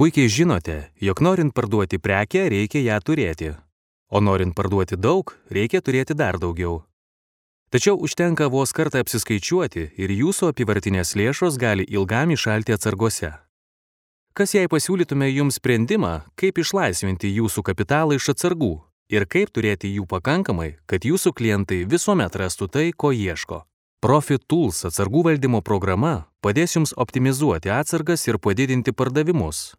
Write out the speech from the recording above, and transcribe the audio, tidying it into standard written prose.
Puikiai žinote, jog norint parduoti prekę, reikia ją turėti. O norint parduoti daug, reikia turėti dar daugiau. Tačiau užtenka vos kartą apsiskaičiuoti ir jūsų apyvartinės lėšos gali ilgam įšalti atsargose. Kas jei pasiūlytume jums sprendimą, kaip išlaisvinti jūsų kapitalą iš atsargų ir kaip turėti jų pakankamai, kad jūsų klientai visuomet rastų tai, ko ieško? Profit Tools atsargų valdymo programa padės jums optimizuoti atsargas ir padidinti pardavimus.